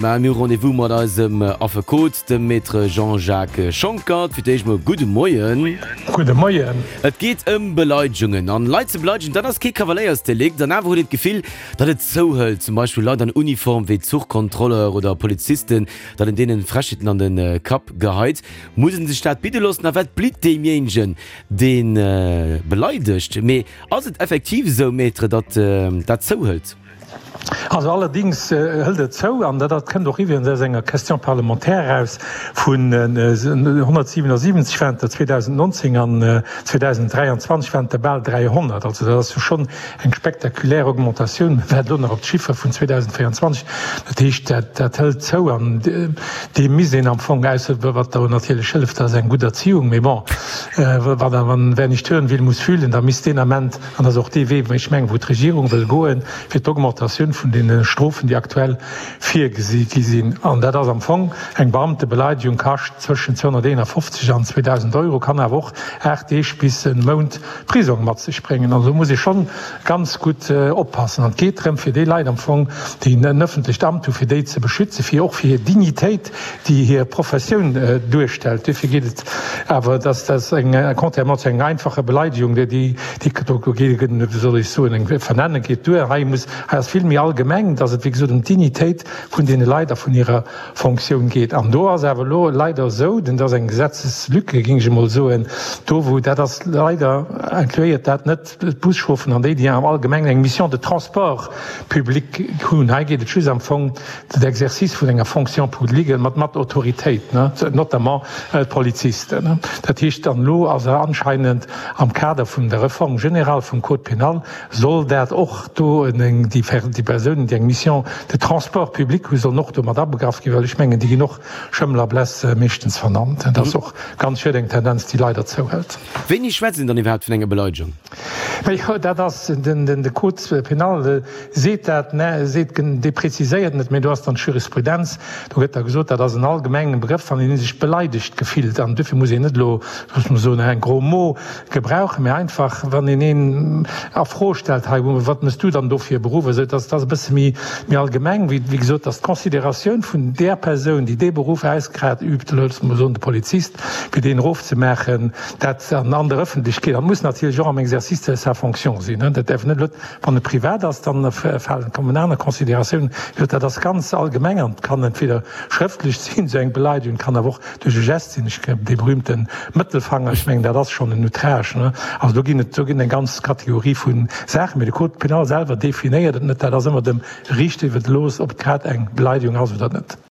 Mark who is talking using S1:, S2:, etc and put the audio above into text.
S1: Mä mir hu Rendez-vous mat eisem Affekot, dem Maître Jean-Jacques Schonckert. Fir d'éischt mol gudde Moien.
S2: Gudde Moien.
S1: Et geet ëm Beleidegungen. An Leit ze beleidegen, dat ass kee Kavaléiersdelikt. An awer huet een d'Gefill, datt et zouhëlt. Zum Beispill Leit an Uniform wéi Zuchkontrolleur oder Polizisten, datt een deenen Frechheeten an de Kapp geheit. Muss een sech dat bidde loossen? A wat blitt deemjéinegen, dee beleidegt? Mee ass et effektiv esou, Maître, datt dat zouhëlt?
S2: Also allerdings hëlt et zou, an dat kënnt och iwwregens aus enger Question parlementaire eraus, vun 177 waren et der 2019 an 2023 waren et der bal 300. Also dat ass jo schonn eng spektakulär Augmentatioun. Mä wat elo nach op d'Chiffere vun 2024, dat heescht, dat hëlt zou an deem misst een am Fong, ausser wat do natierlech hëlleft, dat ass eng gutt Erziehung, mee bon, wann wer nicht hören will, muss fühlen, da misst deen Ament, An dat ass och dee Wee, wou ech mengen, wou d'Regierung wëll goen, fir d'Augmentatioun vun deene Strofen, déi aktuell virgesi gi sinn. An dat ass am Fong eng Beamtebeleidegung, kascht zwëschen 251 an 2.000 Euro, kann awer och 8 Deeg bis e Mount Prisong mat sech bréngen. Also do muss ee schonn ganz gutt oppassen. An et geet drëm, fir déi Leit am Fong, déi en ëffentlecht Amt hu, fir déi ze beschützen, fir och fir hir Dignitéit, déi hir Professioun duerstellt. Duerfir geet et awer, dass dat eng, contrairement zu enger einfacher Beleidigung, déi, déi do geet, wéi soll ech soen, eng Vernennung geet duer. Hei muss, hei ass vill méi allgemeng, dass et, wéi gesot, ëm d'Dignitéit vun deene Leit a vun hirer Fonctioun geet. An do ass awer elo leider esou, denn dat ass eng Gesetzeslücke, géing ech emol soen, do wou dat ass, leider incluéiert dat net d'Buschaufferten an déi, déi am Allgemengen eng Mission de transport public hunn. Hei geet et just am Fong den Exercice vun enger Fonction publique mat mat Autoritéit, notamment d'Polizisten. Dat heescht, an elo ass anscheinend am Kader vun der Réforme générale vum Code pénal, soll dat och do déi Persounen, déi eng Mission de transport public hunn, sollen och do mat abegraff ginn, well ech mengen, déi ginn och Schëmmel a Bless meeschtens vernannt. Dat ass och ganz schued, eng Tendenz, déi leider zouhëlt.
S1: Wéini schwätzt een dann iwwerhaapt vun enger Beleidegung?
S2: Majo, dat ass den de Code pénal seet dat, mä seet, dee preziséiert net, mä do ass dann d'Jurisprudenz, do gëtt da gesot, dat ass en allgemengen Begrëff, wann een sech beleidegt gefillt. An duerfir muss een net elo, loosse mer soen, en gros mot gebrauchen, mä einfach, wann een een a Fro stellt, hei, wat mëss du dann do fir e Beruff, esou, dass dat ass e bësse méi, méi allgemeng, wéi, wéi gesot, dass d'Considératioun vun där Persoun, déi dee Beruff ausgrad übt, loosse mer soen, de Polizist, fir deen erofzemaachen, dat an an der Ëffentlechkeet, an muss natierlech och am Exercice de sa fonction sinn, dat däerf net elo, wann e privat ass, dann falen, kommen aner Considératiounen. Wéi gesot, dat ass ganz allgemeng an kann entweder schrëftlech sinn, esou eng Beleidigung, kann awer och duerch e Gest sinn, ech, dee berühmte Mëttelfanger, ech mengen, dat ass schonn en Outrage, ne. Also do ginn et, do ginn eng ganz Kategorie vu Saachen, mee de Code pénal selwer definéiert et net, dat ass ëmmer dem Riichter iwwerlooss, ob et grad eng Beleidigung ass oder net.